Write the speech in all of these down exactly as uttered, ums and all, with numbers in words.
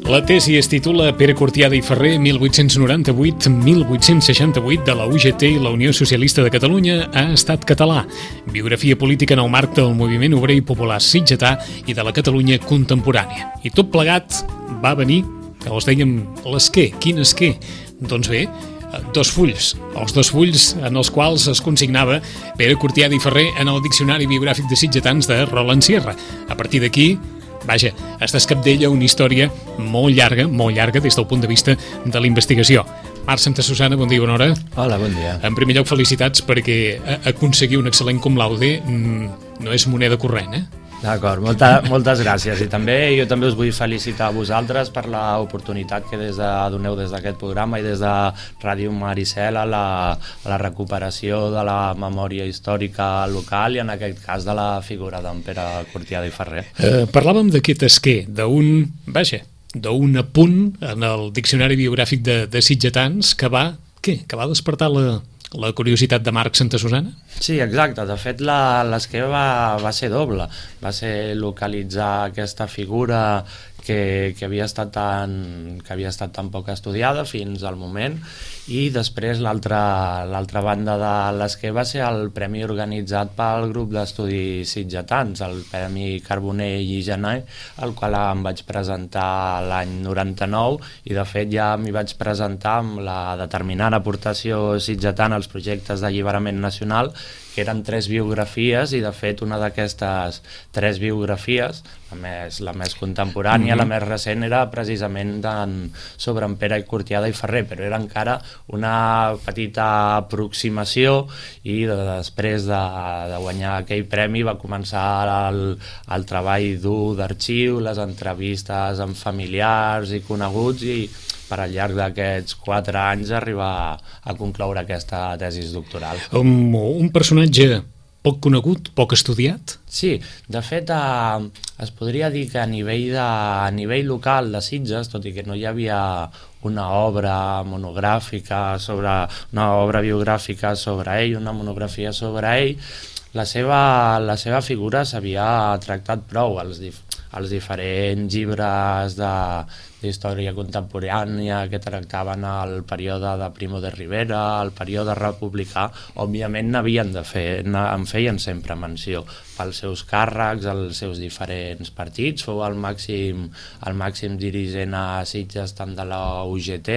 La tesi es titula Pere Cortiada i Ferrer, mil vuit-cents noranta-vuit a mil vuit-cents seixanta-vuit, de la U G T i la Unió Socialista de Catalunya a Estat català. Biografia política en el marc del moviment obrer i popular sitgetà i de la Catalunya contemporània. I tot plegat va venir, que els dèiem, l'esquer. Quin esquer? Doncs bé, dos fulls, els dos fulls en els quals es consignava Pere Cortiada i Ferrer en el Diccionari Biogràfic de Sitgetans de Roland Sierra. A partir d'aquí, vaja, es descapdella una història molt llarga, molt llarga des del punt de vista de la investigació. Marc Santasusana, bon dia, bona hora. Hola, bon dia. En primer lloc, felicitats perquè aconseguir un excel·lent cum laude no és moneda corrent, eh? D'acord, molta, moltes gràcies. I també jo també us vull felicitar a vosaltres per l'oportunitat que des de, doneu des d'aquest programa i des de Ràdio Maricel a la, a la recuperació de la memòria històrica local i en aquest cas de la figura d'en Pere Cortiada i Ferrer. Eh, parlàvem d'aquest esquer, d'un, vaja, d'un apunt en el Diccionari Biogràfic de, de Sitgetans que va, què? Que va despertar la... la curiositat de Marc Santasusana? Sí, exacte. De fet, l'esquer va, va ser doble. Va ser localitzar aquesta figura que, que, havia estat tan, que havia estat tan poc estudiada fins al moment, i després l'altra l'altra banda de l'esquer va ser el premi organitzat pel grup d'estudis sitgetans, el Premi Carbonell i Gener, el qual em vaig presentar l'any noranta-nou, i de fet ja m'hi vaig presentar amb la determinant aportació sitgetana als projectes d'alliberament nacional, que eren tres biografies, i de fet una d'aquestes tres biografies, la més, la més contemporània, mm-hmm. la més recent, era precisament en, sobre en Pere Cortiada i Ferrer, però era encara una petita aproximació, i de, després de, de guanyar aquell premi va començar el, el treball dur d'arxiu, les entrevistes amb familiars i coneguts, i per al llarg d'aquests quatre anys arribar a concloure aquesta tesis doctoral. Un, un personatge poc conegut, poc estudiat? Sí, de fet eh, es podria dir que a nivell, de, a nivell local de Sitges, tot i que no hi havia una obra monogràfica sobre, una obra biogràfica sobre ell, una monografia sobre ell, la seva, la seva figura s'havia tractat prou als dif els diferents llibres de d'història contemporània que tractaven el període de Primo de Rivera, el període republicà, òbviament n'havien de fer, en feien sempre menció pels seus càrrecs, els seus diferents partits. Fou el màxim, el màxim dirigent a Sitges tant de la U G T,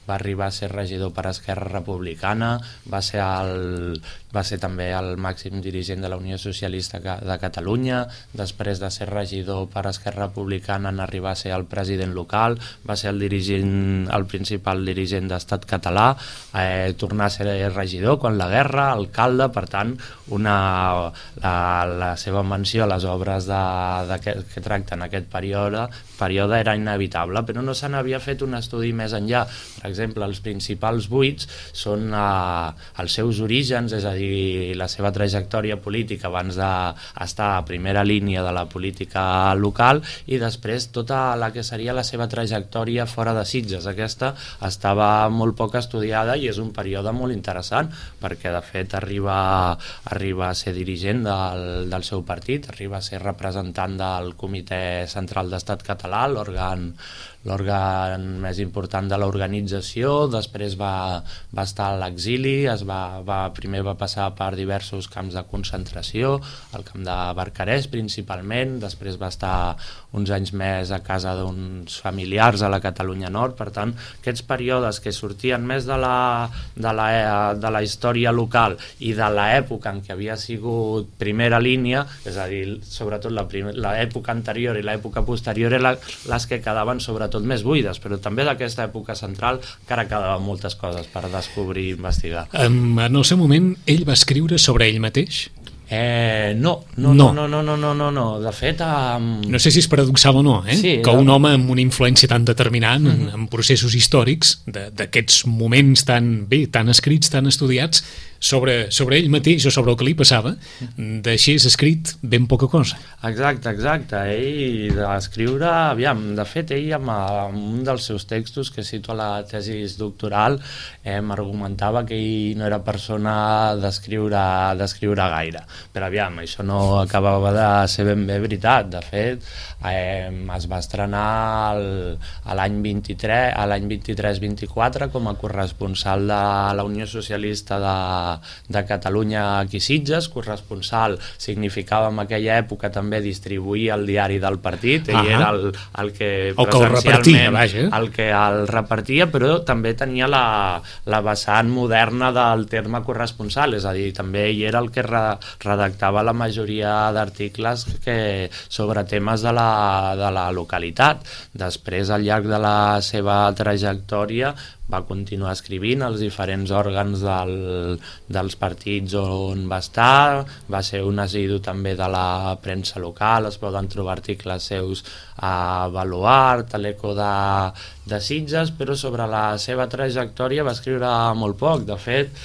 va arribar a ser regidor per Esquerra Republicana, va ser, el, va ser també el màxim dirigent de la Unió Socialista de Catalunya, després de ser regidor per Esquerra Republicana en arribar a ser el president local, va ser el dirigent, el principal dirigent d'Estat català, eh, tornar a ser regidor quan la guerra, alcalde, per tant, una, la, la seva menció a les obres de, de que, que tracten aquest període, període era inevitable, però no se n'havia fet un estudi més enllà. Per exemple, els principals buits són eh, els seus orígens, és a dir, la seva trajectòria política abans d'estar a primera línia de la política local, i després tota la que seria la seva trajectòria fora de Sitges. Aquesta estava molt poc estudiada i és un període molt interessant, perquè de fet arriba, arriba a ser dirigent del, del seu partit, arriba a ser representant del Comitè Central d'Estat Català, l'òrgan l'òrgan més important de l'organització. Després va, va estar a l'exili, es va, va, primer va passar per diversos camps de concentració, el camp de Barcarès principalment, després va estar uns anys més a casa d'uns familiars a la Catalunya Nord. Per tant, aquests períodes que sortien més de la, de la, de la història local i de l'època en què havia sigut primera línia, és a dir, sobretot l'època anterior i l'època posterior, eren les que quedaven sobretot tot més buides, però també d'aquesta època central encara quedaven moltes coses per descobrir i investigar. Um, en el seu moment, ell va escriure sobre ell mateix? Eh, no, no, no, no, no, no, no, no, no. De fet... Um... No sé si és paradoxal o no, eh? Sí, que un home amb una influència tan determinant en, en processos històrics, d'aquests moments tan bé, tan escrits, tan estudiats, sobre, sobre ell mateix o sobre el que li passava, deixés escrit ben poca cosa. Exacte, exacte. Ell d'escriure, aviam, de fet, ell amb, amb un dels seus textos que cito a la tesis doctoral eh, m'argumentava que ell no era persona d'escriure d'escriure gaire. però aviam, això no acabava de ser ben bé veritat. De fet, eh, es va estrenar el, a l'any vint-i-tres, a l'any vint-i-tres vint-i-quatre com a corresponsal de la Unió Socialista de, de Catalunya aquí a Sitges. Corresponsal significava en aquella època també distribuir el diari del partit, ell uh-huh. era el, el que el que el repartia, vaja. el que el repartia, però també tenia la, la vessant moderna del terme corresponsal, és a dir, també ell era el que re, redactava la majoria d'articles que, sobre temes de la, de la localitat. Després, al llarg de la seva trajectòria, va continuar escrivint als diferents òrgans del, dels partits on va estar, va ser un assidu també de la premsa local, es poden trobar articles seus a Baluart, a l'Eco de, de Sitges, però sobre la seva trajectòria va escriure molt poc. De fet,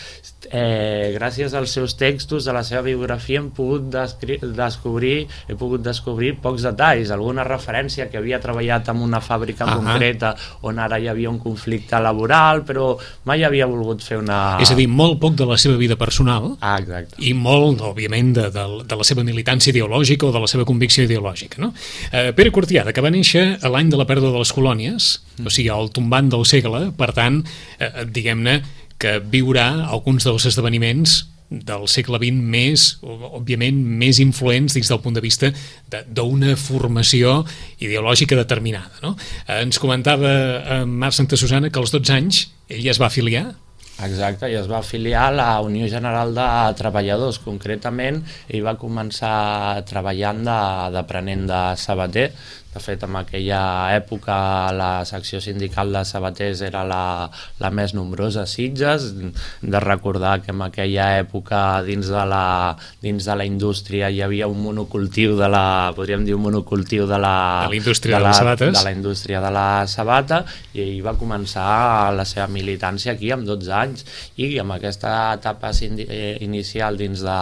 eh, gràcies als seus textos, a la seva biografia, hem pogut descobrir, he pogut descobrir pocs detalls, alguna referència que havia treballat en una fàbrica uh-huh. concreta on ara hi havia un conflicte laboral, però mai havia volgut fer una... És a dir, molt poc de la seva vida personal ah, exacte. I molt, òbviament, de, de, de la seva militància ideològica o de la seva convicció ideològica, no? Eh, Pere Cortiada, que va néixer a l'any de la pèrdua de les colònies, mm. o sigui, al tombant del segle, per tant, eh, diguem-ne que viurà alguns dels esdeveniments del segle vint més, òbviament, més influents dins del punt de vista d'una formació ideològica determinada, no? Eh, ens comentava eh, Marc Santasusana que als dotze anys ell ja es va afiliar. Exacte, i es va afiliar a la Unió General de Treballadors. Concretament, ell va començar treballant d'aprenent de sabater. De fet, en aquella època la secció sindical de sabaters era la, la més nombrosa a Sitges. De recordar que en aquella època dins de la, dins de la indústria hi havia un monocultiu de la, podríem dir un monocultiu de la, de la indústria de, la, de les sabates. De la indústria de la sabata, i ell va començar la seva militància aquí amb dotze anys, i amb aquesta etapa inicial dins de,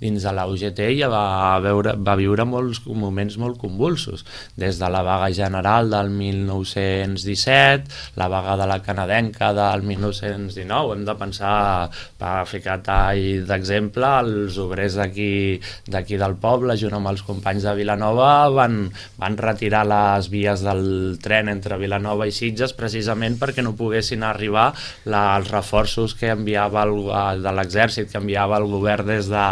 dins de la U G T ja va, veure, va viure molts moments molt convulsos. Des de la vaga general del mil nou-cents disset, la vaga de la canadenca del mil nou-cents dinou, hem de pensar, per ficar tall d'exemple, els obrers d'aquí d'aquí del poble, junt amb els companys de Vilanova, van, van retirar les vies del tren entre Vilanova i Sitges precisament perquè no poguessin arribar la, els reforços que enviava el, de l'exèrcit, que enviava el govern des de,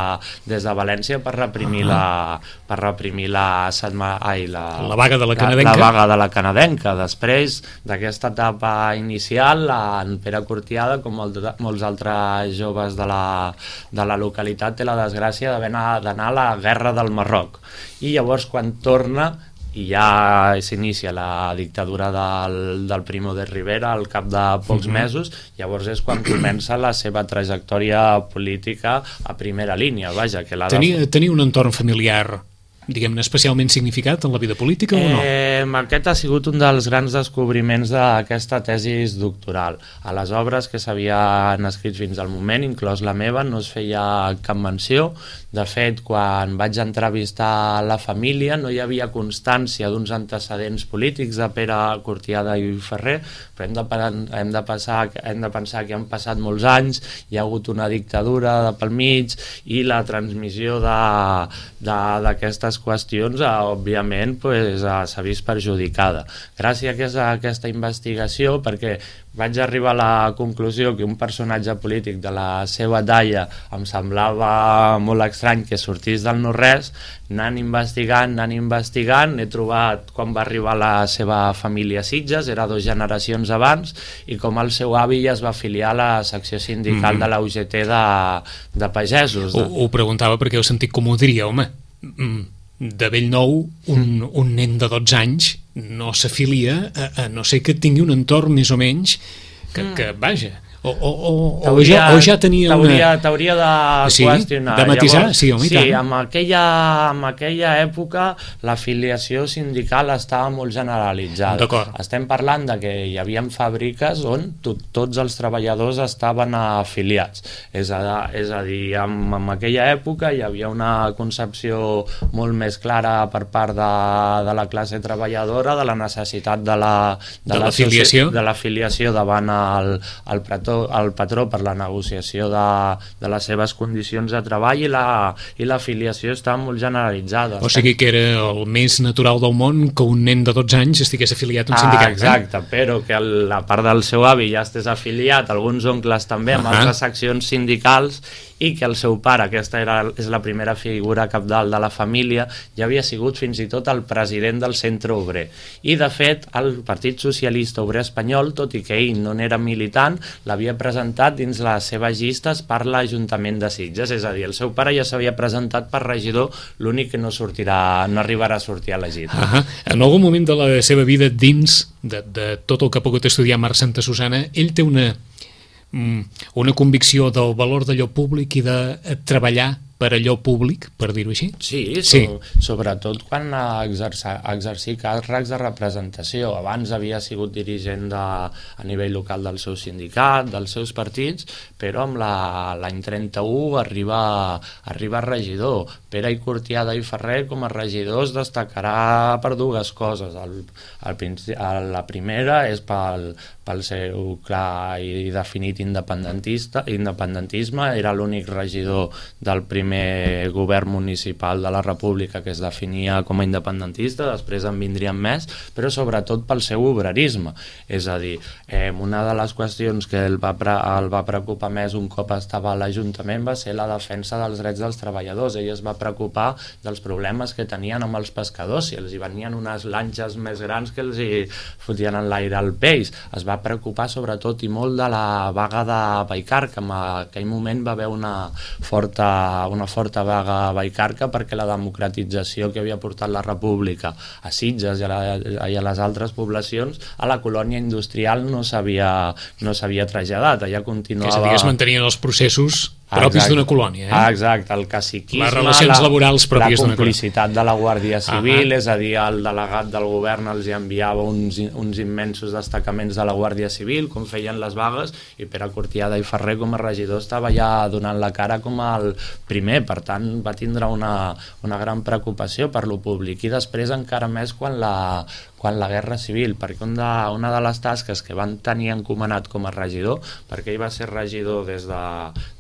des de València per reprimir la, per reprimir la setmana... Ai, la, la vaga de la canadenca. La, la vaga de la canadenca. Després d'aquesta etapa inicial, en Pere Cortiada, com molts altres joves de la, de la localitat, té la desgràcia d'anar a la guerra del Marroc. I llavors, quan torna, i ja s'inicia la dictadura del, del Primo de Rivera al cap de pocs uh-huh. mesos, llavors és quan comença la seva trajectòria política a primera línia. Vaja, que la tenia, de... tenia un entorn familiar, diguem-ne, especialment significat en la vida política o no? Eh, aquest ha sigut un dels grans descobriments d'aquesta tesis doctoral. A les obres que s'havien escrit fins al moment, inclòs la meva, no es feia cap menció. De fet, quan vaig entrevistar la família no hi havia constància d'uns antecedents polítics de Pere Cortiada i Ferrer, però hem de, hem, de passar, hem de pensar que han passat molts anys, hi ha hagut una dictadura de pel mig i la transmissió d'aquestes qüestions, eh, òbviament, pues, eh, s'ha vist perjudicada. Gràcies a aquesta investigació, perquè vaig arribar a la conclusió que un personatge polític de la seva talla em semblava molt estrany que sortís del no-res, anant investigant, anant investigant, he trobat quan va arribar la seva família a Sitges, era dues generacions abans, i com el seu avi ja es va afiliar a la secció sindical mm. de la U G T de, de pagesos. Ho, ho preguntava perquè heu sentit com ho diria, home, de bell nou, un, un nen de dotze anys no s'afilia a, a no ser que tingui un entorn més o menys que, que vaja, o, o, o, o, ja, o ja tenia una... T'hauria de sí, qüestionar. De matisar, llavors, sí, home, sí, en aquella, en aquella època l'afiliació sindical estava molt generalitzada. Estem parlant de que hi havia fàbriques on tot, tots els treballadors estaven afiliats. És a, és a dir, en, en aquella època hi havia una concepció molt més clara per part de, de la classe treballadora de la necessitat de la, de, de l'afiliació de l'afiliació davant el, el pretó patró, el patró per la negociació de, de les seves condicions de treball, i la, i l'afiliació està molt generalitzada. O sigui que era el més natural del món que un nen de dotze anys estigués afiliat a un sindicat. Ah, exacte, eh? Però que la part del seu avi ja estés afiliat, alguns oncles també, amb uh -huh. altres seccions sindicals, i que el seu pare, aquesta era, és la primera figura capdalt de la família, ja havia sigut fins i tot el president del Centre Obrer. I, de fet, el Partit Socialista Obrer Espanyol, tot i que ell no n'era militant, l'havia presentat dins les seves llistes per l'Ajuntament de Sitges. És a dir, el seu pare ja s'havia presentat per regidor, l'únic que no sortirà, no arribarà a sortir elegit. Uh -huh. En algun moment de la seva vida, dins de, de tot el que ha pogut estudiar Marc Santasusana, ell té una... una convicció del valor d'allò públic i de treballar per allò públic, per dir-ho així? Sí, sí. So, sobretot quan ha exercir, exercir càrrecs de representació. Abans havia sigut dirigent de, a nivell local del seu sindicat, dels seus partits, però amb l'any trenta-u arriba, arriba regidor. Pere i Cortiada i Ferrer com a regidors destacarà per dues coses. El, el, la primera és pel, pel seu clar i definit independentista, independentisme. Era l'únic regidor del primer primer govern municipal de la República que es definia com a independentista, després en vindrien més, però sobretot pel seu obrerisme. És a dir, eh, una de les qüestions que el va, el va preocupar més un cop estava a l'Ajuntament va ser la defensa dels drets dels treballadors. Ell es va preocupar dels problemes que tenien amb els pescadors, si els hi venien unes lanxes més grans que els hi fotien en l'aire al peix. Es va preocupar sobretot i molt de la vaga de Vallcarca, que en aquell moment va haver una forta una forta vaga a Vallcarca perquè la democratització que havia portat la República a Sitges i a, la, i a les altres poblacions a la colònia industrial no s'havia no s'havia traslladat, allà continuava... És a dir, es mantenien els processos propis d'una colònia, eh? Exacte, el caciquisme, les relacions la, laborals pròpies la complicitat de la Guàrdia Civil, ah, és a dir, el delegat del govern els enviava uns, uns immensos destacaments de la Guàrdia Civil, com feien les vagues, i Pere Cortiada i Ferrer com a regidor estava ja donant la cara com el primer, per tant va tindre una, una gran preocupació per lo públic, i després encara més quan la, quan la Guerra Civil, perquè un de, una de les tasques que van tenir encomanat com a regidor, perquè ell va ser regidor des de,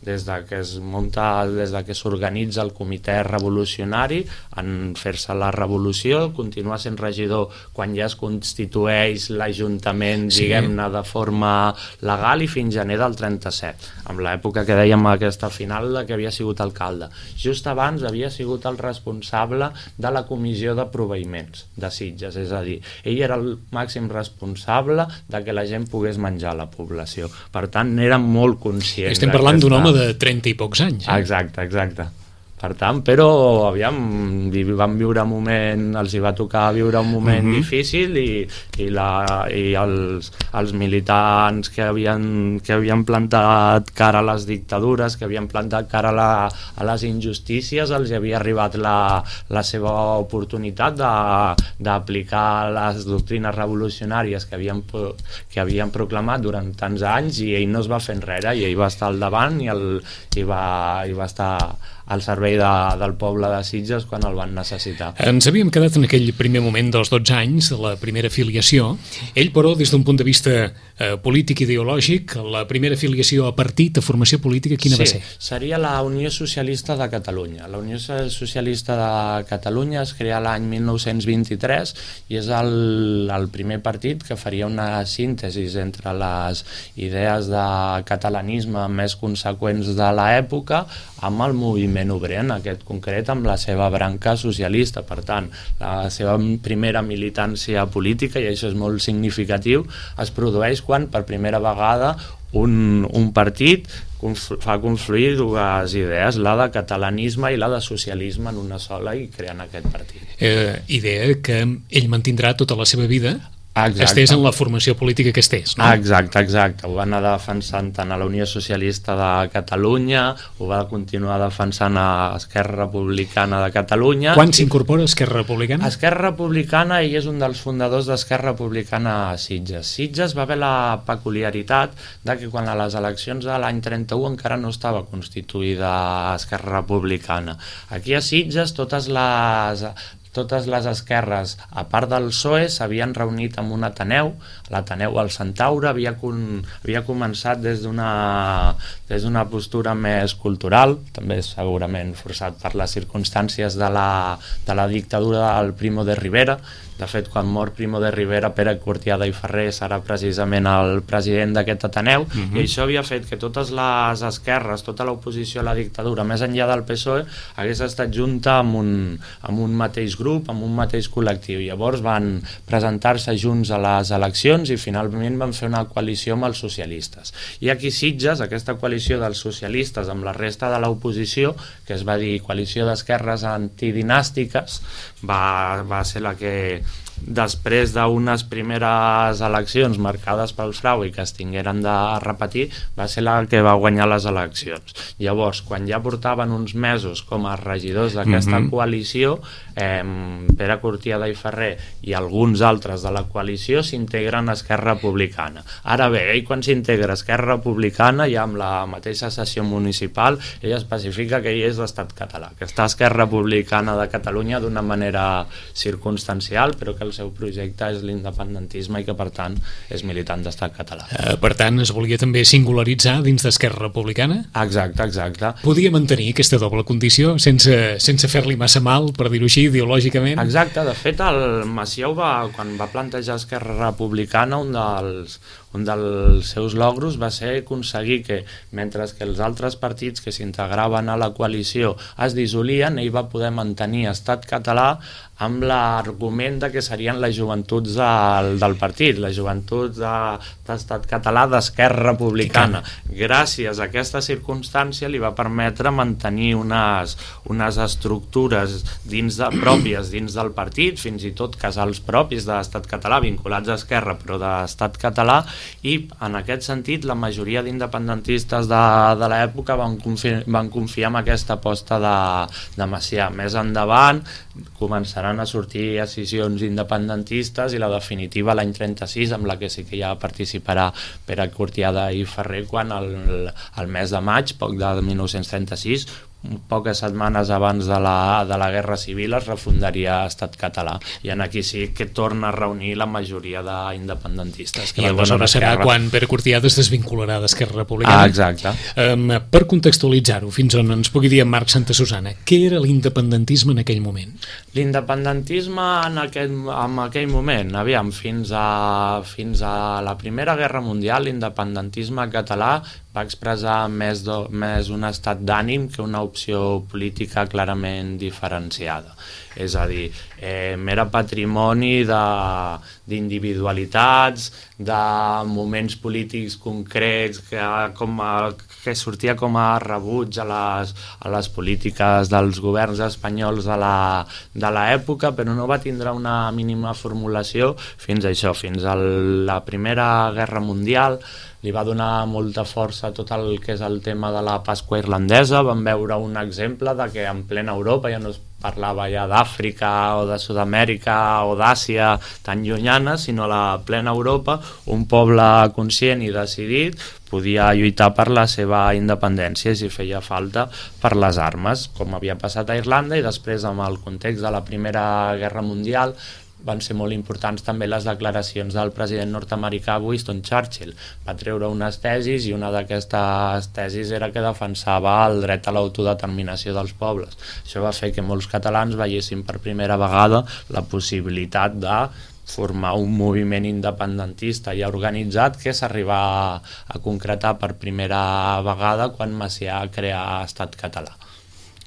des de que es munta, des de que s'organitza el comitè revolucionari en fer-se la revolució, continuar sent regidor quan ja es constitueix l'Ajuntament, sí, diguem-ne, de forma legal, i fins gener del trenta-set, amb l'època que dèiem aquesta final de que havia sigut alcalde. Just abans havia sigut el responsable de la comissió de proveïments de Sitges, és a dir, ell era el màxim responsable de que la gent pogués menjar a la població. Per tant, era molt conscient. Estem parlant d'un home de trenta i pocs anys. Eh? Exacte, exacte. Per tant, però, aviam, van viure un moment, els hi va tocar viure un moment uh-huh. difícil, i, i, la, i els, els militants que havien, que havien plantat cara a les dictadures, que havien plantat cara a, la, a les injustícies, els hi havia arribat la, la seva oportunitat d'aplicar les doctrines revolucionàries que havien, que havien proclamat durant tants anys, i ell no es va fer enrere, i ell va estar al davant i, el, i, va, i va estar al servei de, del poble de Sitges quan el van necessitar. Ens havíem quedat en aquell primer moment dels dotze anys, de la primera afiliació. Ell, però, des d'un punt de vista eh, polític i ideològic, la primera afiliació a partit, a formació política, quina sí, va ser? Seria la Unió Socialista de Catalunya. La Unió Socialista de Catalunya es crea l'any mil nou-cents vint-i-tres i és el, el primer partit que faria una síntesi entre les idees de catalanisme més conseqüents de l'època amb el moviment obrer, en aquest concret amb la seva branca socialista. Per tant, la seva primera militància política, i això és molt significatiu, es produeix quan per primera vegada un, un partit fa confluir dues idees, la de catalanisme i la de socialisme en una sola, i creen aquest partit. Eh, idea que ell mantindrà tota la seva vida, exacte, estés en la formació política que estés, no? Exacte, exacte. Ho va anar defensant tant a la Unió Socialista de Catalunya, ho va continuar defensant a Esquerra Republicana de Catalunya. Quan s'incorpora Esquerra Republicana? Esquerra Republicana, ell és un dels fundadors d'Esquerra Republicana a Sitges. Sitges va haver la peculiaritat de que quan a les eleccions de l'any trenta-u encara no estava constituïda Esquerra Republicana. Aquí a Sitges totes les... totes les esquerres, a part del P S O E, s'havien reunit en un Ateneu. L'Ateneu al Centaure havia, con, havia començat des d'una des d'una postura més cultural, també segurament forçat per les circumstàncies de la, de la dictadura del Primo de Rivera. De fet, quan mor Primo de Rivera, Pere Cortiada i Ferrer serà precisament el president d'aquest Ateneu, uh-huh. i això havia fet que totes les esquerres, tota l'oposició a la dictadura, més enllà del P S O E, hagués estat junta amb un, amb un mateix grup, amb un mateix col·lectiu. Llavors van presentar-se junts a les eleccions i finalment van fer una coalició amb els socialistes. I aquí Sitges, aquesta coalició dels socialistes amb la resta de l'oposició, que es va dir coalició d'esquerres antidinàstiques, va, va ser la que després d'unes primeres eleccions marcades pel frau i que es tingueren de repetir, va ser la que va guanyar les eleccions. Llavors, quan ja portaven uns mesos com a regidors d'aquesta mm-hmm. coalició, eh, Pere Cortiada i Ferrer i alguns altres de la coalició s'integren a Esquerra Republicana. Ara bé, ell quan s'integra a Esquerra Republicana, ja amb la mateixa sessió municipal, ell especifica que ell és d'Estat català, que està a Esquerra Republicana de Catalunya d'una manera circumstancial, però que el seu projecte és l'independentisme i que per tant és militant d'Estat català. Uh, per tant, es volia també singularitzar dins d'Esquerra Republicana? Exacte, exacte. Podia mantenir aquesta doble condició sense, sense fer-li massa mal, per dir-ho així, ideològicament? Exacte, de fet el Macià va, quan va plantejar Esquerra Republicana, un dels un dels seus logros va ser aconseguir que, mentre que els altres partits que s'integraven a la coalició es dissolien, ell va poder mantenir Estat català amb l'argument de que serien les joventuts del, del partit, les joventuts de, d'Estat català d'Esquerra Republicana. Gràcies a aquesta circumstància li va permetre mantenir unes, unes estructures dins de, pròpies dins del partit, fins i tot casals propis d'Estat català, vinculats a Esquerra, però d'Estat català, i en aquest sentit la majoria d'independentistes de, de l'època van, confi van confiar en aquesta aposta de, de Macià. Més endavant començaran a sortir decisions independentistes i la definitiva l'any trenta-sis, amb la que sí que ja participarà Pere Cortiada i Ferrer, quan el, el mes de maig, poc de mil nou-cents trenta-sis, poques setmanes abans de la, de la Guerra Civil, es refundaria Estat català, i en aquí sí que torna a reunir la majoria d'independentistes. I aleshores serà quan Pere Cortiada es desvincularà d'Esquerra Republicana. Ah, exacte. Um, per contextualitzar-ho, fins on ens pugui dir en Marc Santasusana, què era l'independentisme en aquell moment? L'independentisme en, aquest, en aquell moment, aviam, fins a, fins a la Primera Guerra Mundial, l'independentisme català va expressar més, do, més un estat d'ànim que una opció política clarament diferenciada. És a dir, eh, era patrimoni d'individualitats, de, de moments polítics concrets, que, com a, que sortia com a rebuig a les, a les polítiques dels governs espanyols de l'època, però no va tindre una mínima formulació fins a això, fins a la Primera Guerra Mundial. Li va donar molta força tot el que és el tema de la Pasqua irlandesa. Vam veure un exemple de que en plena Europa ja no es parlava ja d'Àfrica o de Sud-amèrica o d'Àsia tan llunyana, sinó a la plena Europa un poble conscient i decidit podia lluitar per la seva independència si feia falta per les armes, com havia passat a Irlanda. I després, amb el context de la Primera Guerra Mundial, van ser molt importants també les declaracions del president nord-americà Winston Churchill. Va treure unes tesis i una d'aquestes tesis era que defensava el dret a l'autodeterminació dels pobles. Això va fer que molts catalans veiessin per primera vegada la possibilitat de formar un moviment independentista ja organitzat que s'arriba a, a concretar per primera vegada quan Macià crea Estat català.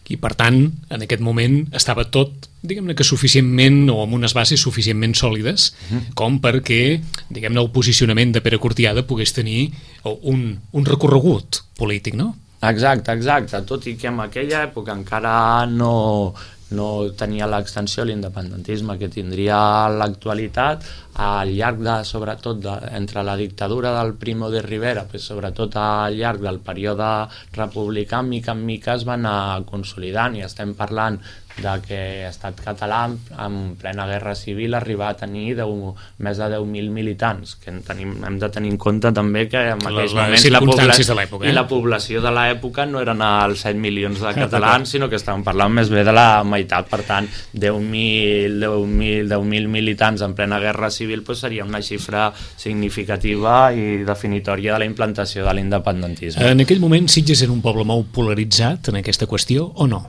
I per tant, en aquest moment estava tot, diguem-ne que suficientment, o amb unes bases suficientment sòlides, uh-huh. com perquè, diguem-ne, el posicionament de Pere Cortiada pogués tenir un, un recorregut polític, no? Exacte, exacte, tot i que en aquella època encara no, no tenia l'extensió l'independentisme que tindria l'actualitat. Al llarg de, sobretot, de, entre la dictadura del Primo de Rivera, però sobretot al llarg del període republicà, mica en mica es va anar consolidant, i estem parlant de que Estat Català en plena Guerra Civil arriba a tenir deu, més de deu mil militants, que tenim, hem de tenir en compte també que en aquells moments la, població, de eh? i la població de l'època no eren els set milions de catalans, sinó que estàvem parlant més bé de la meitat. Per tant, deu mil militants en plena Guerra Civil pues, seria una xifra significativa i definitòria de la implantació de l'independentisme. En aquell moment Sitges era un poble molt polaritzat en aquesta qüestió o no?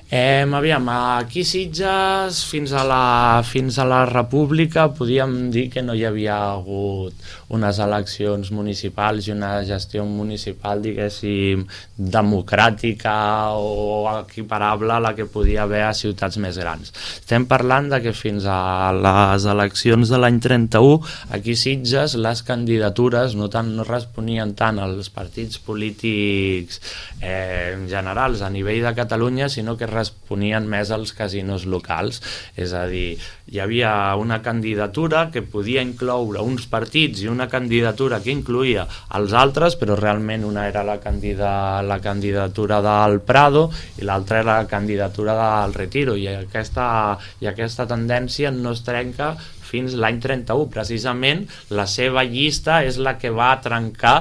Eh, aviam, aquí Sitges fins a, la, fins a la República podíem dir que no hi havia hagut unes eleccions municipals i una gestió municipal, diguéssim, democràtica o equiparable a la que podia haver a ciutats més grans. Estem parlant de que fins a les eleccions de l'any trenta-u aquí Sitges les candidatures no, tant, no responien tant als partits polítics eh, generals a nivell de Catalunya, sinó que responien més als casinos locals. És a dir, hi havia una candidatura que podia incloure uns partits i una candidatura que incloïa els altres, però realment una era la, candida, la candidatura del Prado i l'altra era la candidatura del Retiro, i aquesta, i aquesta tendència no es trenca fins l'any trenta-u. Precisament la seva llista és la que va trencar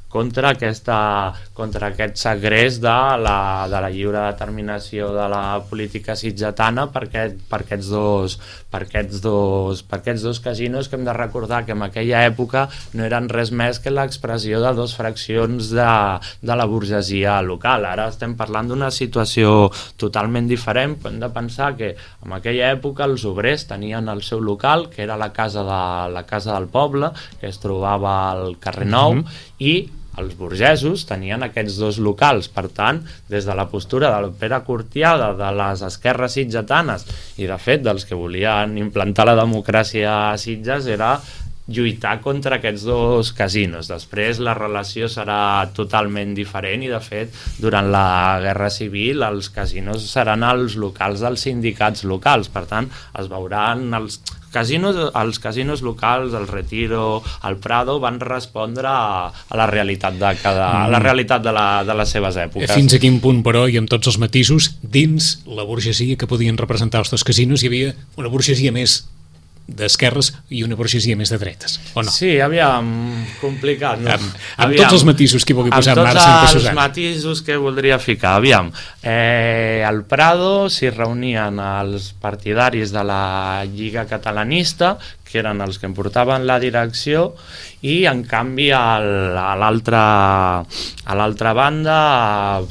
contra, aquesta, contra aquest segrest de la, de la lliure determinació de la política sitgetana per, aquest, per, aquests dos, per, aquests dos, per aquests dos casinos, que hem de recordar que en aquella època no eren res més que l'expressió de dos fraccions de, de la burgesia local. Ara estem parlant d'una situació totalment diferent. Hem de pensar que en aquella època els obrers tenien el seu local, que era la casa, de, la casa del poble, que es trobava al carrer Nou, mm-hmm. i els burgesos tenien aquests dos locals. Per tant, des de la postura del Pere Cortiada, de les esquerres sitgetanes i de fet dels que volien implantar la democràcia a Sitges, era lluitar contra aquests dos casinos. Després la relació serà totalment diferent i de fet durant la Guerra Civil els casinos seran els locals dels sindicats locals. Per tant, es veuran els casinos, els casinos locals, el Retiro, el Prado, van respondre a, a la realitat de cada, a la realitat de, la, de les seves èpoques. Fins a quin punt, però, i amb tots els matisos, dins la burgesia que podien representar els dos casinos hi havia una burgesia més d'esquerres i una burgesia més de dretes, o no? Sí, aviam, complicat, no? Amb, amb aviam, tots els matisos que vulgui posar en marxa en tots els matisos que voldria ficar, aviam, eh, al Prado s'hi reunien els partidaris de la Lliga Catalanista, que eren els que en portaven la direcció, i en canvi al, a l'altra a l'altra banda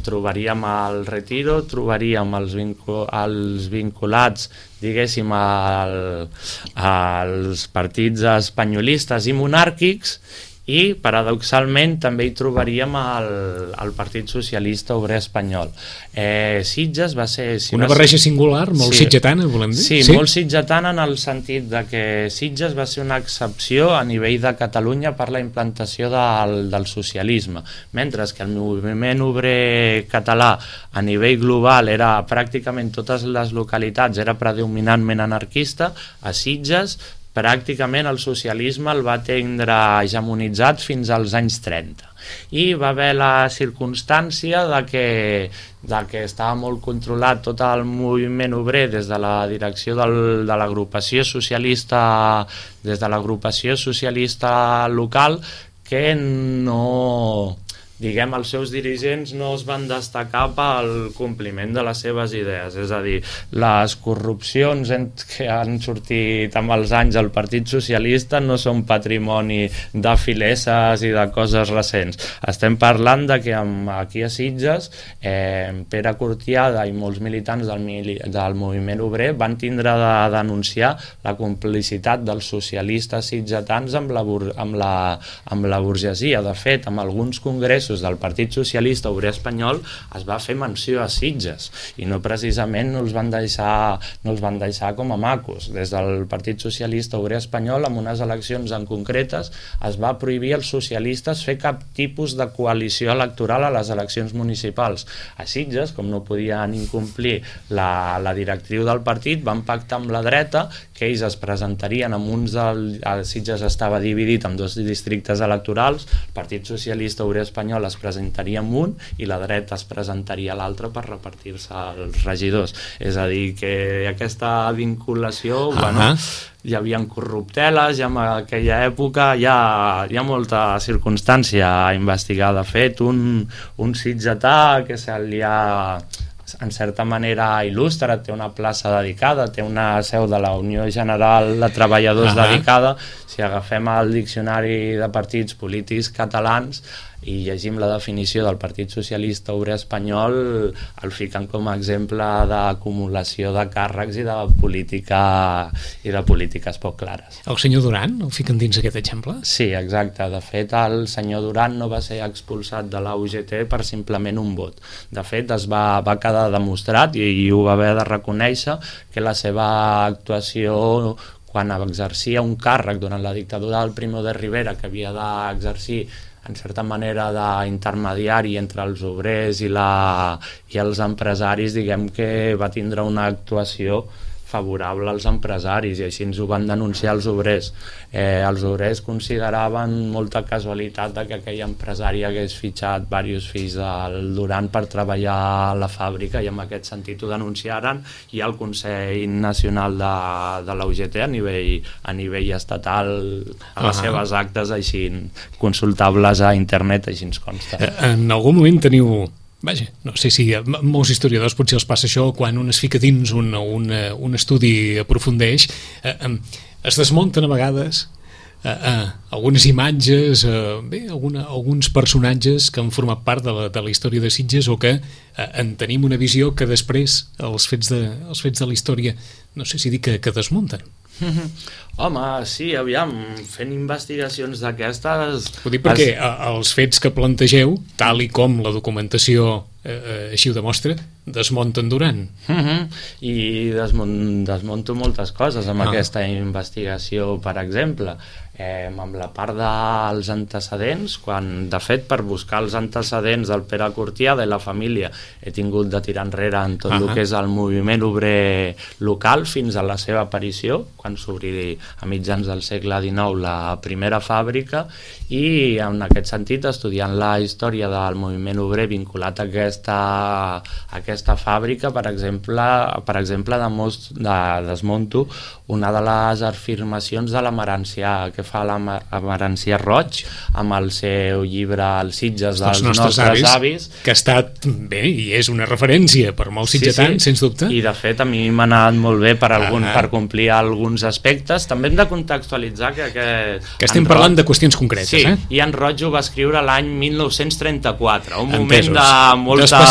trobaríem el Retiro, trobaríem els, vincu, els vinculats, diguéssim, al, als partits espanyolistes i monàrquics, i paradoxalment també hi trobaríem el, el Partit Socialista Obrer Espanyol. Eh, Sitges va ser... Si una va barreja ser, singular, molt sí, sitgetana, volem dir? Sí, sí, molt sitgetana en el sentit de que Sitges va ser una excepció a nivell de Catalunya per la implantació del, del socialisme, mentre que el moviment obrer català a nivell global era pràcticament totes les localitats, era predominantment anarquista. A Sitges pràcticament el socialisme el va tindre hegemonitzat fins als anys trenta. I va haver la circumstància de que, de que estava molt controlat tot el moviment obrer des de la direcció del, de l'agrupació socialista, des de l'agrupació socialista local, que no... diguem, els seus dirigents no es van destacar pel compliment de les seves idees, és a dir, les corrupcions que han sortit amb els anys al Partit Socialista no són patrimoni de fileses i de coses recents. Estem parlant de que aquí a Sitges eh, Pere Cortiada i molts militants del, del moviment obrer van tindre de denunciar la complicitat dels socialistes sitgetans amb la, amb la, amb la burgesia. De fet, amb alguns congressos del Partit Socialista Obrer Espanyol es va fer menció a Sitges i no precisament no els van deixar, no els van deixar com a macos. Des del Partit Socialista Obrer Espanyol, en unes eleccions en concretes, es va prohibir als socialistes fer cap tipus de coalició electoral a les eleccions municipals. A Sitges, com no podien incomplir la, la directriu del partit, van pactar amb la dreta que ells es presentarien amb uns del... Sitges estava dividit en dos districtes electorals, el Partit Socialista Obrer Espanyol espanyol es presentaria en un i la dreta es presentaria a l'altre per repartir-se els regidors. És a dir, que aquesta vinculació, uh -huh. bueno, hi havia corrupteles, ja en aquella època hi ha, hi ha molta circumstància a investigar. De fet, un, un sitgetà que se li ha, en certa manera, il·lustra, té una plaça dedicada, té una seu de la Unió General de Treballadors uh -huh. dedicada. Si agafem el diccionari de partits polítics catalans i llegim la definició del Partit Socialista Obrer Espanyol, el fiquen com a exemple d'acumulació de càrrecs i de política i de polítiques poc clares. El senyor Duran el fiquen dins aquest exemple? Sí, exacte. De fet, el senyor Duran no va ser expulsat de la U G T per simplement un vot. De fet, es va, va quedar demostrat i, i ho va haver de reconèixer que la seva actuació quan exercia un càrrec durant la dictadura del Primo de Rivera, que havia d'exercir en certa manera d'intermediari entre els obrers i, la, i els empresaris, diguem que va tindre una actuació favorable als empresaris i així ens ho van denunciar els obrers. Eh, els obrers consideraven molta casualitat de que aquell empresari hagués fitxat diversos fills del Duran per treballar a la fàbrica i en aquest sentit ho denunciaren i el Consell Nacional de, de la U G T a nivell, a nivell estatal a les uh -huh. seves actes així consultables a internet, així ens consta. En algun moment teniu... Vaja, no sé si a molts historiadors potser els passa això quan un es fica dins un, un, un estudi aprofundeix, eh, eh, es desmunten a vegades eh, eh, algunes imatges, eh, bé, alguna, alguns personatges que han format part de la, de la història de Sitges o que eh, en tenim una visió que després els fets de, els fets de la història, no sé si dir que, que desmunten. Home, sí, aviam, fent investigacions d'aquestes... Ho dic perquè es... els fets que plantegeu, tal i com la documentació eh, així ho demostra, desmunten Duran. Uh -huh. I desmont, desmonto moltes coses amb ah. aquesta investigació, per exemple. Eh, amb la part dels antecedents, quan, de fet, per buscar els antecedents del Pere Cortiada i la família he tingut de tirar enrere en tot uh -huh. el que és el moviment obrer local fins a la seva aparició, quan s'obri a mitjans del segle dinou la primera fàbrica, i en aquest sentit, estudiant la història del moviment obrer vinculat a aquesta, a aquesta fàbrica, per exemple, per exemple de most, de, desmonto una de les afirmacions de l'Amarancià, que fa l'Amarancià Roig amb el seu llibre Els Sitges dels nostres, nostres avis, avis, que ha estat bé i és una referència per molts sitgetans, sí, sí. sens dubte. I de fet a mi m'ha anat molt bé per, algun, ah, per complir alguns aspectes. També hem de contextualitzar que... Que, que estem Roig, parlant de qüestions concretes. Sí, eh? i en Roig ho va escriure l'any mil nou-cents trenta-quatre, un Entesos. moment de molta...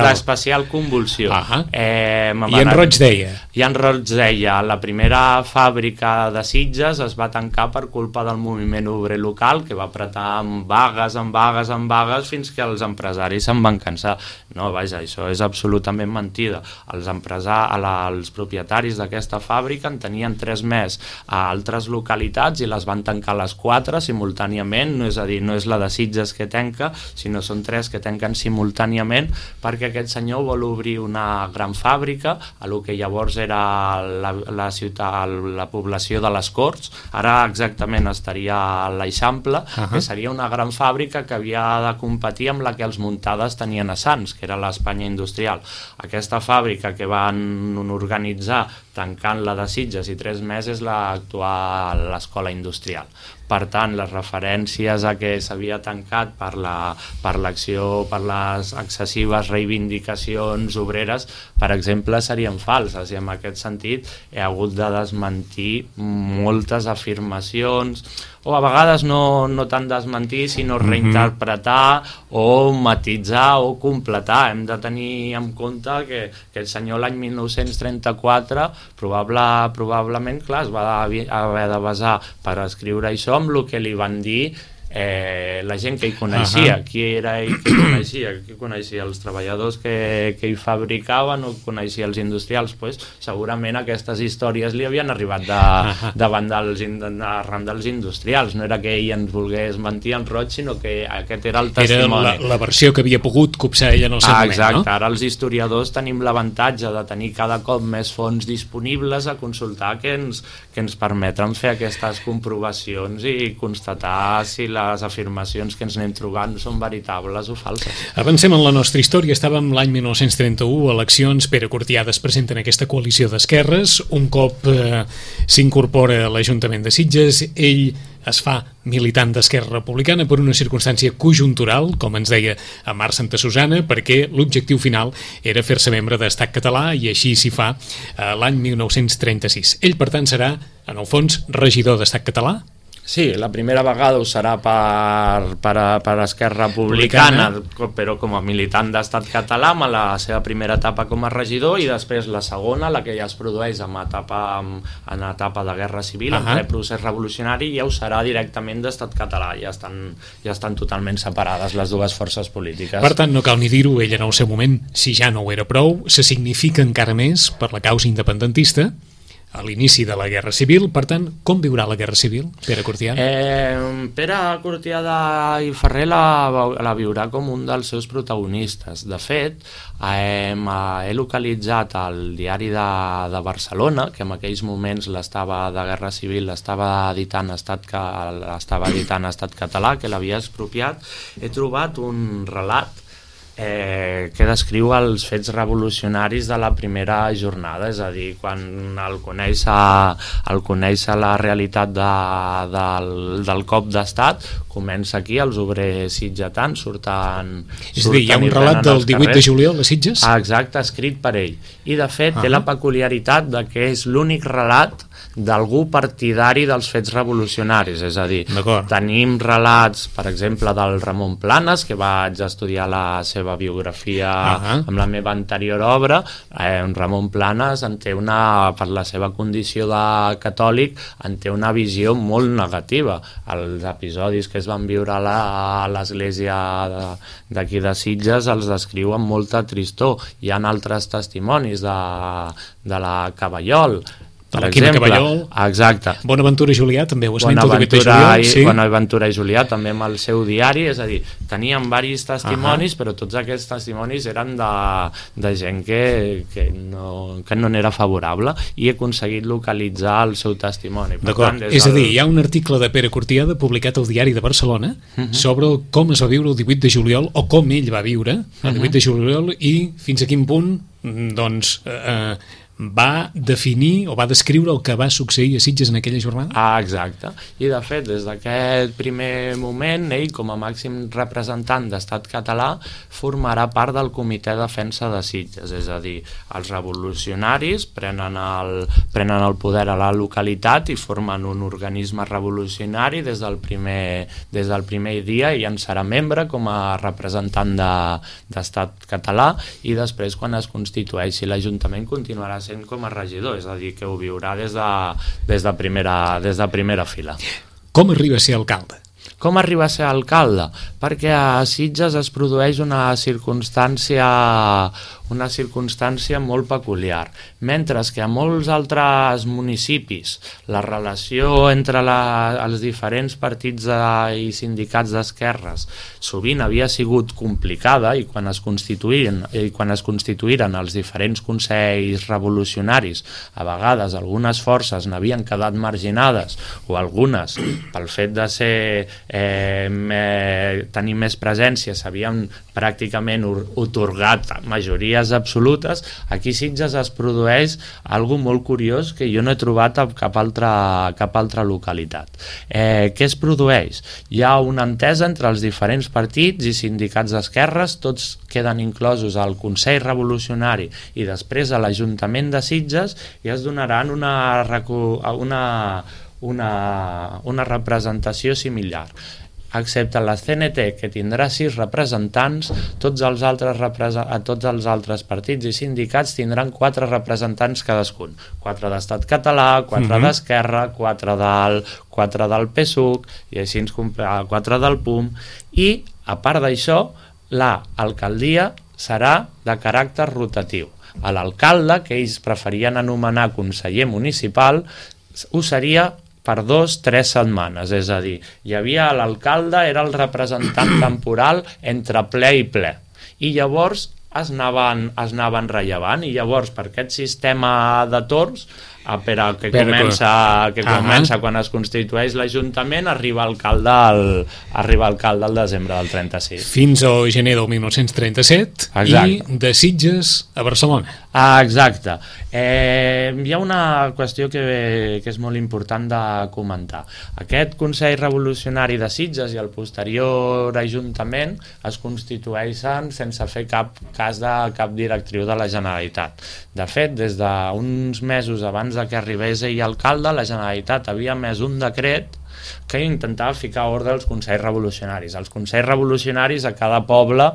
D'especial convulsió. Ah eh, I en Roig deia? I en Roig deia, la primera fàbrica de Sitges es va tancar per culpa del moviment obrer local, que va apretar amb vagues, amb vagues, amb vagues, fins que els empresaris se'n van cansar. No, vaja, això és absolutament mentida. Els, empresar, els propietaris d'aquesta fàbrica en tenien tres més a altres localitats i les van tancar les quatre simultàniament, no és a dir, no és la de Sitges que tanca, sinó són tres que tanquen simultàniament, perquè aquest senyor vol obrir una gran fàbrica a lo que llavors era la, la ciutat, la població de les Corts, ara exactament estaria a l'Eixample, uh -huh. que seria una gran fàbrica que havia de competir amb la que els Muntades tenien a Sants, que era l'Espanya industrial. Aquesta fàbrica que van organitzar tancant-la de Sitges i tres mesos l'actual l'Escola Industrial. Per tant, les referències a que s'havia tancat per la, per l'acció, per les excessives reivindicacions obreres, per exemple, serien falses, i en aquest sentit he hagut de desmentir moltes afirmacions, o a vegades no, no tant desmentir, sinó reinterpretar o matitzar o completar. Hem de tenir en compte que, que el senyor l'any mil nou-cents trenta-quatre probable, probablement, clar, es va haver de basar per escriure això amb el que li van dir eh, la gent que hi coneixia. Uh -huh. Qui era ell que hi coneixia? Qui coneixia els treballadors que, que hi fabricaven o coneixia els industrials? Pues, segurament aquestes històries li havien arribat de, uh -huh. davant dels, de, arran dels industrials. No era que ell ens volgués mentir en Roig, sinó que aquest era el testimoni. Era la, la versió que havia pogut copsar ell en el seu ah, moment, exacte. No? Ara els historiadors tenim l'avantatge de tenir cada cop més fonts disponibles a consultar que ens, que ens permeten fer aquestes comprovacions i constatar si la les afirmacions que ens anem trobant són veritables o falses. Avancem en la nostra història. Estàvem l'any mil nou-cents trenta-u, eleccions, Pere Cortiada es presenta en aquesta coalició d'esquerres, un cop eh, s'incorpora a l'Ajuntament de Sitges, ell es fa militant d'Esquerra Republicana per una circumstància conjuntural, com ens deia a Mar Santa Susana, perquè l'objectiu final era fer-se membre d'Estat Català, i així s'hi fa eh, l'any mil nou-cents trenta-sis. Ell, per tant, serà, en el fons, regidor d'Estat Català? Sí, la primera vegada ho serà per, per, per Esquerra Republicana, Republicana, però com a militant d'Estat Català, amb la seva primera etapa com a regidor, i després la segona, la que ja es produeix en etapa, en etapa de Guerra Civil, uh -huh. en ple procés revolucionari, ja ho serà directament d'Estat Català. Ja estan, ja estan totalment separades les dues forces polítiques. Per tant, no cal ni dir-ho, ell en el seu moment, si ja no ho era prou, se significa encara més per la causa independentista a l'inici de la Guerra Civil. Per tant, com viurà la Guerra Civil, Pere Cortiada? Eh, Pere Cortiada i Ferrer la, la viurà com un dels seus protagonistes. De fet, eh, he localitzat el diari de, de Barcelona, que en aquells moments l'estava de Guerra Civil l'estava editant Estat, l'estava editant Estat Català, que l'havia expropiat. He trobat un relat Eh, que descriu els fets revolucionaris de la primera jornada, és a dir, quan el conèixer, el conèixer la realitat de, del, del cop d'estat, comença aquí, els obrers sitgetans surten... És a dir, hi ha un relat del divuit de juliol a Sitges? Ah, exacte, escrit per ell. I de fet, ah. té la peculiaritat de que és l'únic relat d'algú partidari dels fets revolucionaris, és a dir, tenim relats, per exemple, del Ramon Planes, que vaig estudiar la seva biografia uh -huh. amb la meva anterior obra. eh, Ramon Planes en té una, per la seva condició de catòlic, en té una visió molt negativa. Els episodis que es van viure a l'església d'aquí de Sitges els descriu amb molta tristor. Hi ha altres testimonis de, de la Caballol, de la Quima Caballol. Exacte. Bonaventura Julià també ho esmenta, el divuit de juliol. Sí. Bonaventura i Julià també amb el seu diari, és a dir, tenien diversos testimonis, uh -huh. però tots aquests testimonis eren de, de gent que, que, no, que no n'era favorable, i he aconseguit localitzar el seu testimoni. D'acord, és a dir, hi ha un article de Pere Cortiada publicat al Diari de Barcelona uh -huh. sobre com es va viure el divuit de juliol, o com ell va viure el divuit de juliol, i fins a quin punt, doncs... Eh, va definir o va descriure el que va succeir a Sitges en aquella jornada? Ah, exacte. I de fet, des d'aquest primer moment, ell, com a màxim representant d'Estat Català, formarà part del Comitè de Defensa de Sitges, és a dir, els revolucionaris prenen el, prenen el poder a la localitat i formen un organisme revolucionari des del primer, des del primer dia, i en serà membre com a representant d'Estat de, Català, i després, quan es constitueixi l'Ajuntament, continuarà sent com a regidor, és a dir, que ho viurà des de, des de, primera, des de primera fila. Com arriba a ser alcalde? Com arriba a ser alcalde? Perquè a Sitges es produeix una circumstància una circumstància molt peculiar. Mentre que a molts altres municipis la relació entre la, els diferents partits de, i sindicats d'esquerres sovint havia sigut complicada, i quan es constituïren, i quan es constituïren els diferents consells revolucionaris, a vegades algunes forces n'havien quedat marginades, o algunes, pel fet de ser eh, me, tenir més presència, s'havien pràcticament otorgat majories absolutes. Aquí a Sitges es produeix algo molt curiós que jo no he trobat a cap altra, cap altra localitat. Eh, què es produeix? Hi ha una entesa entre els diferents partits i sindicats d'esquerres, tots queden inclosos al Consell Revolucionari i després a l'Ajuntament de Sitges, i es donaran una, una, una, una representació similar. Excepte la C N T, que tindrà sis representants, tots els altres, a tots els altres partits i sindicats tindran quatre representants cadascun. Quatre d'Estat Català, quatre uh-huh. d'Esquerra, quatre del, quatre del P S U C, i així ens quatre del P U M, i, a part d'això, l'alcaldia serà de caràcter rotatiu. A l'alcalde, que ells preferien anomenar conseller municipal, ho seria per dos, tres setmanes, és a dir, hi havia l'alcalde, era el representant temporal entre ple i ple, i llavors es anaven, es anaven rellevant, i llavors per aquest sistema de torns a Pere, que comença, que comença quan es constitueix l'Ajuntament, arriba alcalde al, arriba alcalde al desembre del trenta-sis. Fins al gener del mil nou-cents trenta-set. Exacte. I de Sitges a Barcelona. Ah, exacte. Eh, hi ha una qüestió que, que és molt important de comentar. Aquest Consell Revolucionari de Sitges i el posterior Ajuntament es constitueixen sense fer cap cas de cap directriu de la Generalitat. De fet, des d'uns mesos abans de que arribés ell alcalde, la Generalitat havia emès un decret que intentava ficar ordre als Consells Revolucionaris. Els Consells Revolucionaris a cada poble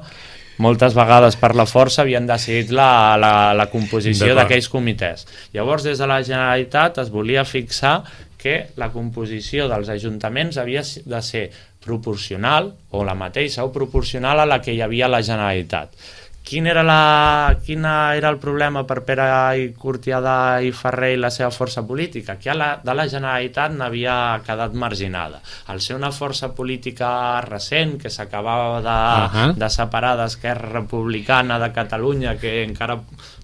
moltes vegades per la força havien decidit la, la, la composició d'aquells comitès. Llavors, des de la Generalitat es volia fixar que la composició dels ajuntaments havia de ser proporcional, o la mateixa, o proporcional a la que hi havia a la Generalitat. Quin era, la, quin era el problema per Pere i Curtiada i Ferrer i la seva força política? Que la, de la Generalitat n'havia quedat marginada. Al ser una força política recent que s'acabava de, uh-huh. de separar d'Esquerra Republicana de Catalunya, que encara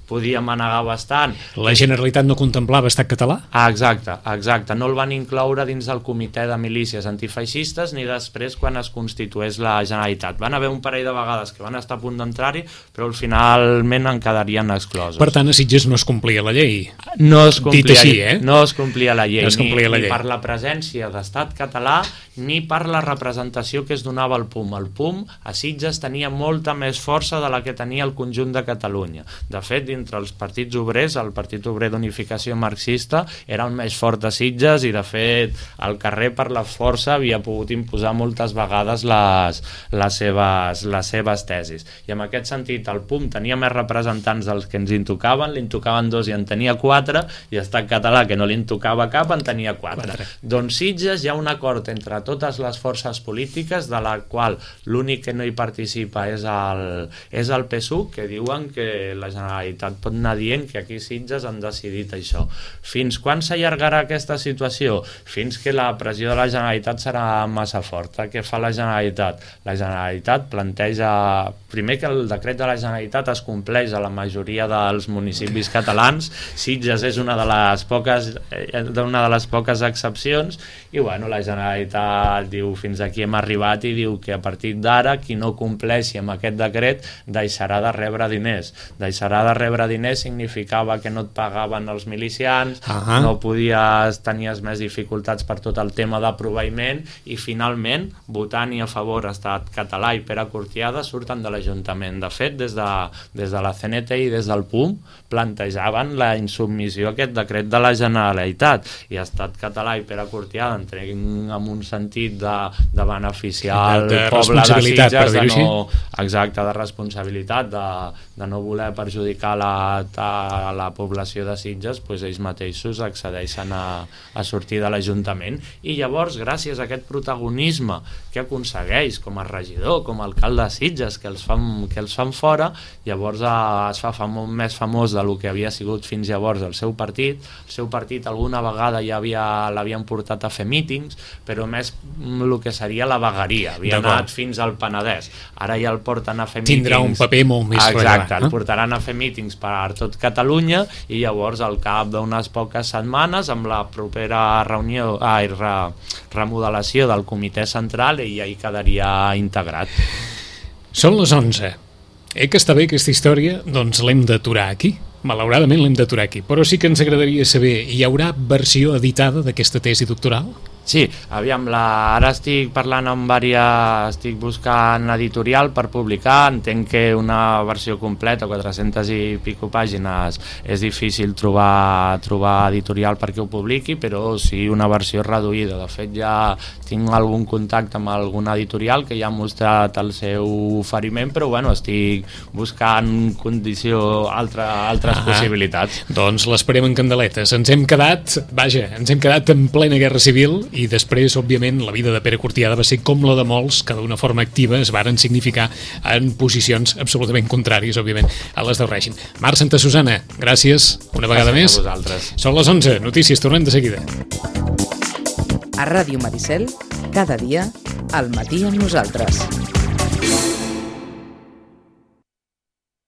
podia manegar bastant. La Generalitat no contemplava estat català? Ah, exacte, exacte. No el van incloure dins del comitè de milícies antifeixistes ni després quan es constitués la Generalitat. Van haver un parell de vegades que van estar a punt d'entrar-hi, però finalment en quedarien exclosos. Per tant, a Sitges no es complia la llei. No es complia, Dit així, eh? No es complia la llei, no es complia ni, la llei. Ni per la presència d'estat català ni per la representació que es donava al P U M. El P U M a Sitges tenia molta més força de la que tenia el conjunt de Catalunya. De fet, entre els partits obrers, el Partit Obrer d'Unificació Marxista era el més fort de Sitges i, de fet, el carrer per la força havia pogut imposar moltes vegades les, les, seves, les seves tesis. I en aquest sentit, el P U M tenia més representants dels que ens en tocaven, li en tocaven dos i en tenia quatre, i Estat Català, que no li en tocava cap, en tenia quatre. quatre. Doncs Sitges hi ha un acord entre totes les forces polítiques, de la qual l'únic que no hi participa és el, és el P S U, que diuen que la Generalitat pot anar dient que aquí Sitges han decidit això. Fins quan s'allargarà aquesta situació? Fins que la pressió de la Generalitat serà massa forta. Què fa la Generalitat? La Generalitat planteja, primer, que el decret de la Generalitat es compleix a la majoria dels municipis catalans. Sitges és una de les poques, una de les poques excepcions, i bueno, la Generalitat diu fins aquí hem arribat i diu que a partir d'ara qui no compleixi amb aquest decret deixarà de rebre diners. Deixarà de rebre diners significava que no et pagaven els milicians, uh-huh. no podies, tenies més dificultats per tot el tema de proveïment, i finalment, votant i a favor Estat Català i Pere Curtiada surten de l'Ajuntament. De fet, des de, des de la C N T i des del P U M plantejaven la insubmissió a aquest decret de la Generalitat, i Estat Català i Pere Curtiada entren en un sentit de, de beneficiar el de poble de Sitges, de no, exacte, de responsabilitat, de, de no voler perjudicar la, a la població de Sitges, doncs ells mateixos accedeixen a, a sortir de l'Ajuntament, i llavors, gràcies a aquest protagonisme que aconsegueix com a regidor, com a alcalde de Sitges, que els fan, que els fan fora, llavors eh, es fa famo, més famós del que havia sigut fins llavors el seu partit. El seu partit alguna vegada ja havia, l'havien portat a fer mítings, però més el que seria la vegueria, havia anat fins al Penedès. Ara ja el porten a fer mítings. Tindrà un paper molt més exacte, rellevant. Exacte, el portaran a fer mítings per tot Catalunya, i llavors al cap d'unes poques setmanes, amb la propera reunió, ai, re, remodelació del comitè central, i ja hi quedaria integrat. Són les onze. Eh que està bé aquesta història? Doncs l'hem d'aturar aquí. Malauradament l'hem d'aturar aquí, però sí que ens agradaria saber, hi haurà versió editada d'aquesta tesi doctoral? Sí, aviam, la... ara estic parlant amb vàries, estic buscant editorial per publicar, entenc que una versió completa, quatre-centes i pico pàgines, és difícil trobar, trobar editorial perquè ho publiqui, però sí una versió reduïda. De fet, ja tinc algun contacte amb alguna editorial que ja ha mostrat el seu oferiment, però bueno, estic buscant condició, altra, altres ah, possibilitats. Doncs l'esperem en candeletes. Ens hem quedat, vaja, ens hem quedat en plena guerra civil, i després, òbviament, la vida de Pere Curtiada va ser com la de molts que d'una forma activa es varen significar en posicions absolutament contràries, òbviament, a les del règim. Marc Santa Susana, gràcies una vegada gràcies més. A vosaltres. Són les onze, notícies, tornem de seguida. A Ràdio Maricel, cada dia, al matí amb nosaltres.